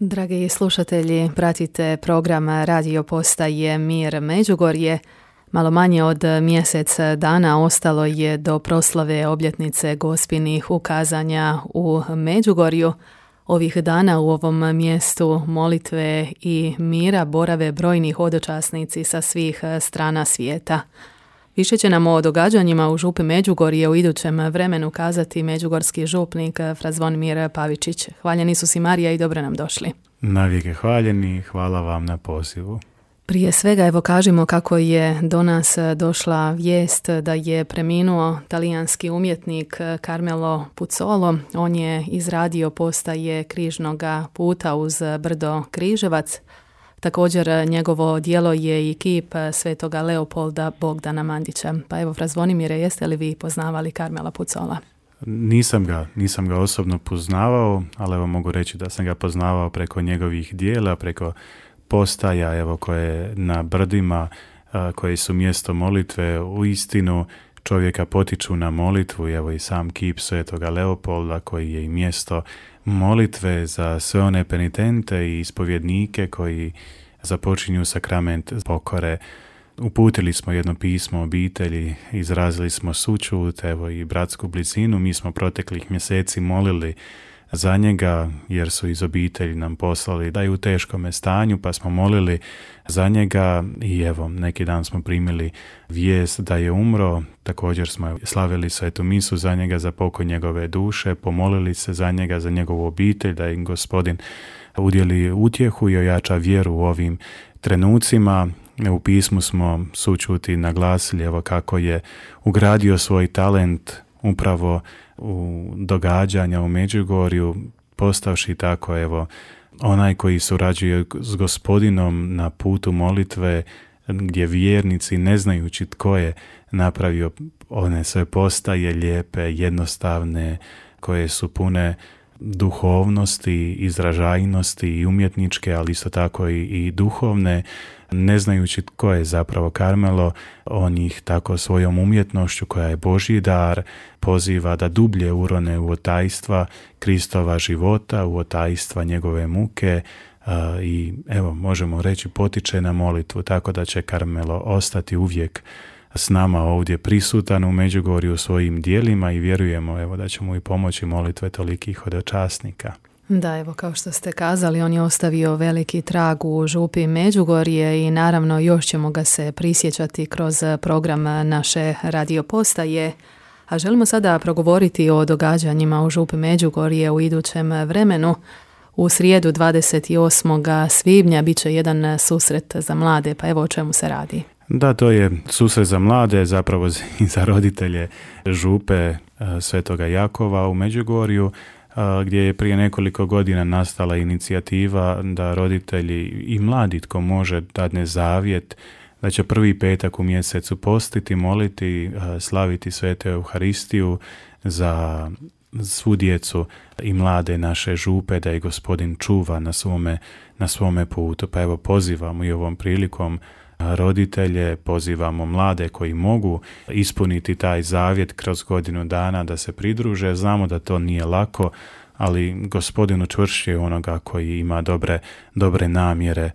Dragi slušatelji, pratite program radio postaje Mir Međugorje. Malo manje od mjesec dana ostalo je do proslave obljetnice Gospinih ukazanja u Međugorju. Ovih dana u ovom mjestu molitve i mira borave brojni hodočasnici sa svih strana svijeta. Više će nam o događanjima u župi Međugorje u idućem vremenu kazati međugorski župnik fra Zvonimir Pavičić. Hvaljeni Isus i Marija i dobro nam došli. Navijeke hvaljeni, hvala vam na pozivu. Prije svega evo kažimo kako je do nas došla vijest da je preminuo talijanski umjetnik Carmelo Puzzolo. On je izradio postaje križnoga puta uz brdo Križevac. Također njegovo djelo je i kip svetoga Leopolda Bogdana Mandića. Pa evo, fra Zvonimire, jeste li vi poznavali Carmela Puzzola? Nisam ga osobno poznavao, ali evo mogu reći da sam ga poznavao preko njegovih dijela, preko postaja evo koje na brdima, koji su mjesto molitve, u istinu čovjeka potiču na molitvu. Evo i sam kip svetoga Leopolda koji je i mjesto molitve za sve one penitente i ispovjednike koji započinju sakrament pokore. Uputili smo jedno pismo obitelji, izrazili smo sućut, evo i bratsku blizinu. Mi smo proteklih mjeseci molili za njega jer su iz obitelji nam poslali da je u teškome stanju, pa smo molili za njega i evo neki dan smo primili vijest da je umro. Također smo slavili svetu misu za njega, za pokoj njegove duše, pomolili se za njega, za njegovu obitelj, da im Gospodin udjeli utjehu i ojača vjeru u ovim trenucima. U pismu smo sućuti naglasili evo kako je ugradio svoj talent upravo u događanja u Međugorju, postavši tako evo onaj koji surađuje s Gospodinom na putu molitve, gdje vjernici, ne znajući tko je napravio one sve postaje lijepe, jednostavne, koje su pune duhovnosti, izražajnosti i umjetničke, ali isto tako i duhovne, ne znajući tko je zapravo Carmelo, on ih tako svojom umjetnošću koja je Božji dar poziva da dublje urone u otajstva Kristova života, u otajstva njegove muke i evo možemo reći potiče na molitvu, tako da će Carmelo ostati uvijek s nama ovdje prisutan u Međugorju svojim dijelima i vjerujemo evo da će mu i pomoći molitve tolikih hodočasnika. Da, evo kao što ste kazali, on je ostavio veliki trag u župi Međugorje i naravno još ćemo ga se prisjećati kroz program naše radio postaje. A želimo sada progovoriti o događanjima u župi Međugorje u idućem vremenu. U srijedu 28. svibnja bit će jedan susret za mlade, pa evo o čemu se radi. Da, to je susret za mlade, zapravo i za roditelje župe Svetoga Jakova u Međugorju, gdje je prije nekoliko godina nastala inicijativa da roditelji i mladi tko može dadne zavjet da će prvi petak u mjesecu postiti, moliti, slaviti Svetu Euharistiju za svu djecu i mlade naše župe, da je Gospodin čuva na svome putu. Pa evo pozivamo i ovom prilikom roditelje, pozivamo mlade koji mogu ispuniti taj zavjet kroz godinu dana da se pridruže. Znamo da to nije lako, ali Gospodin učvršćuje onoga koji ima dobre namjere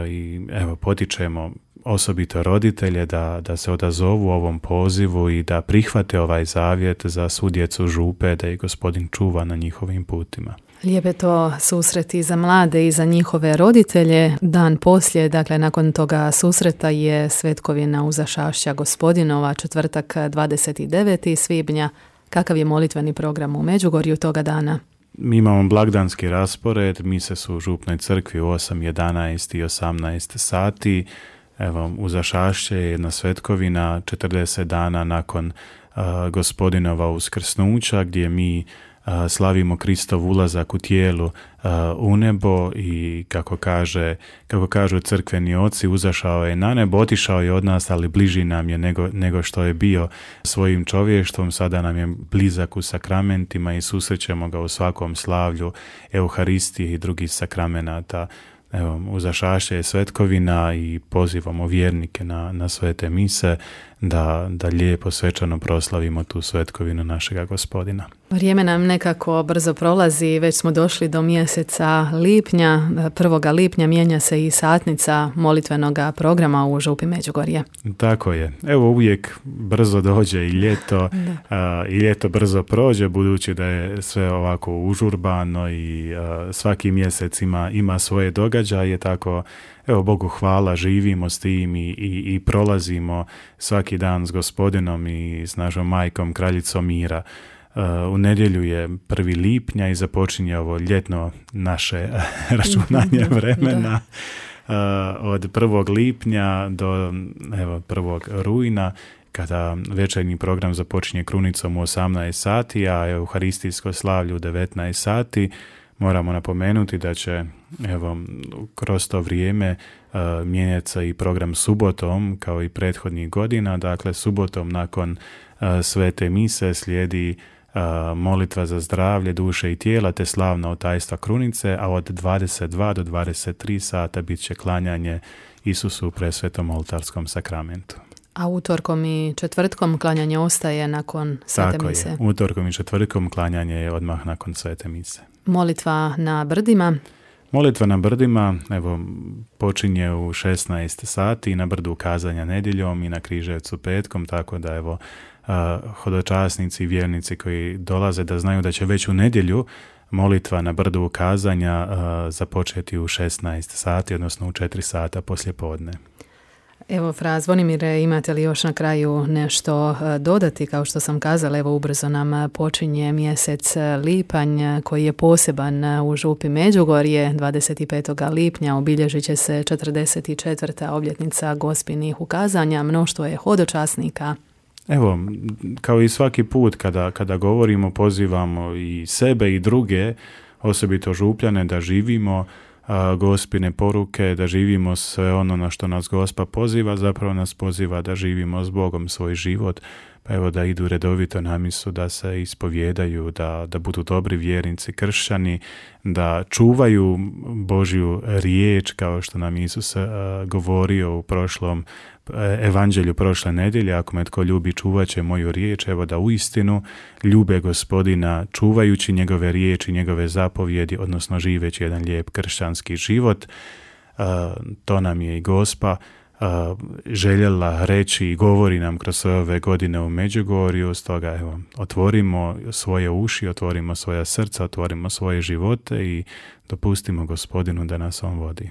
i evo potičemo osobito roditelje da se odazovu ovom pozivu i da prihvate ovaj zavjet za svu djecu župe, da ih Gospodin čuva na njihovim putima. Lijepe to susreti za mlade i za njihove roditelje. Dan poslije, dakle nakon toga susreta je svetkovina Uzašašća Gospodinova, četvrtak 29. svibnja. Kakav je molitveni program u Međugorju toga dana? Mi imamo blagdanski raspored, mise su u župnoj crkvi u 8, 11 i 18 sati. Evo, Uzašašće je jedna svetkovina 40 dana nakon Gospodinova uskrsnuća, gdje mi slavimo Kristov ulazak u tijelu u nebo i kako kažu crkveni oci, uzašao je na nebo, otišao je od nas, ali bliži nam je nego što je bio svojim čovještvom. Sada nam je blizak u sakramentima i susrećemo ga u svakom slavlju Euharistije i drugih sakramenata. Evo, Uzašašće je svetkovina i pozivamo vjernike na svete mise da lijepo svečano proslavimo tu svetkovinu našega Gospodina. Vrijeme nam nekako brzo prolazi, već smo došli do mjeseca lipnja. 1. lipnja mijenja se i satnica molitvenog programa u Župi Međugorje. Tako je. Evo, uvijek brzo dođe i ljeto, i ljeto brzo prođe, budući da je sve ovako užurbano i svaki mjesec ima svoje događaje, tako evo, Bogu hvala, živimo s tim i prolazimo svaki dan s Gospodinom i s našom majkom, kraljicom mira. U nedjelju je 1. lipnja i započinje ovo ljetno naše računanje vremena. Od 1. lipnja do 1. rujna, kada večernji program započinje krunicom u 18 sati, a euharistijsko slavlje u 19 sati, moramo napomenuti da će kroz to vrijeme mijenjati se i program subotom, kao i prethodnih godina. Dakle, subotom nakon svete mise slijedi molitva za zdravlje duše i tijela te slavna otajstva krunice, a od 22 do 23 sata bit će klanjanje Isusu u presvetom oltarskom sakramentu. A utorkom i četvrtkom klanjanje ostaje nakon svete mise? Tako je, utorkom i četvrtkom klanjanje je odmah nakon svete mise. Molitva na brdima? Molitva na brdima, počinje u 16 sati na brdu Kazanja nedjeljom i na Križevcu petkom, tako da hodočasnici i vjernici koji dolaze da znaju da će već u nedjelju molitva na brdu Kazanja započeti u 16 sati, odnosno u 4 sata poslije podne. Evo, fra Zvonimire, imate li još na kraju nešto dodati? Kao što sam kazala, evo, ubrzo nam počinje mjesec lipanj koji je poseban u Župi Međugorje. 25. lipnja obilježit će se 44. obljetnica Gospinih ukazanja. Mnoštvo je hodočasnika. Evo, kao i svaki put kada govorimo, pozivamo i sebe i druge, osobito Župljane, da živimo Gospine poruke, da živimo sve ono na što nas Gospa poziva, zapravo nas poziva da živimo s Bogom svoj život, pa evo da idu redovito na misu, da se ispovjedaju, da budu dobri vjernici, kršćani, da čuvaju Božju riječ, kao što nam Isus govorio u prošlom evanđelju prošle nedjelje: ako me tko ljubi, čuvat će moju riječ. Evo, da uistinu ljube Gospodina, čuvajući njegove riječi, njegove zapovjedi, odnosno živeći jedan lijep kršćanski život. To nam je i Gospa željela reći i govori nam kroz sve ove godine u Međugorju. Stoga otvorimo svoje uši, otvorimo svoja srca, otvorimo svoje živote i dopustimo Gospodinu da nas on vodi.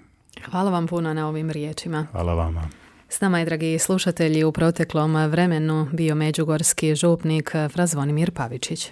Hvala vam puno na ovim riječima. Hvala vama. S nama je, dragi slušatelji, u proteklom vremenu bio međugorski župnik fra Zvonimir Pavičić.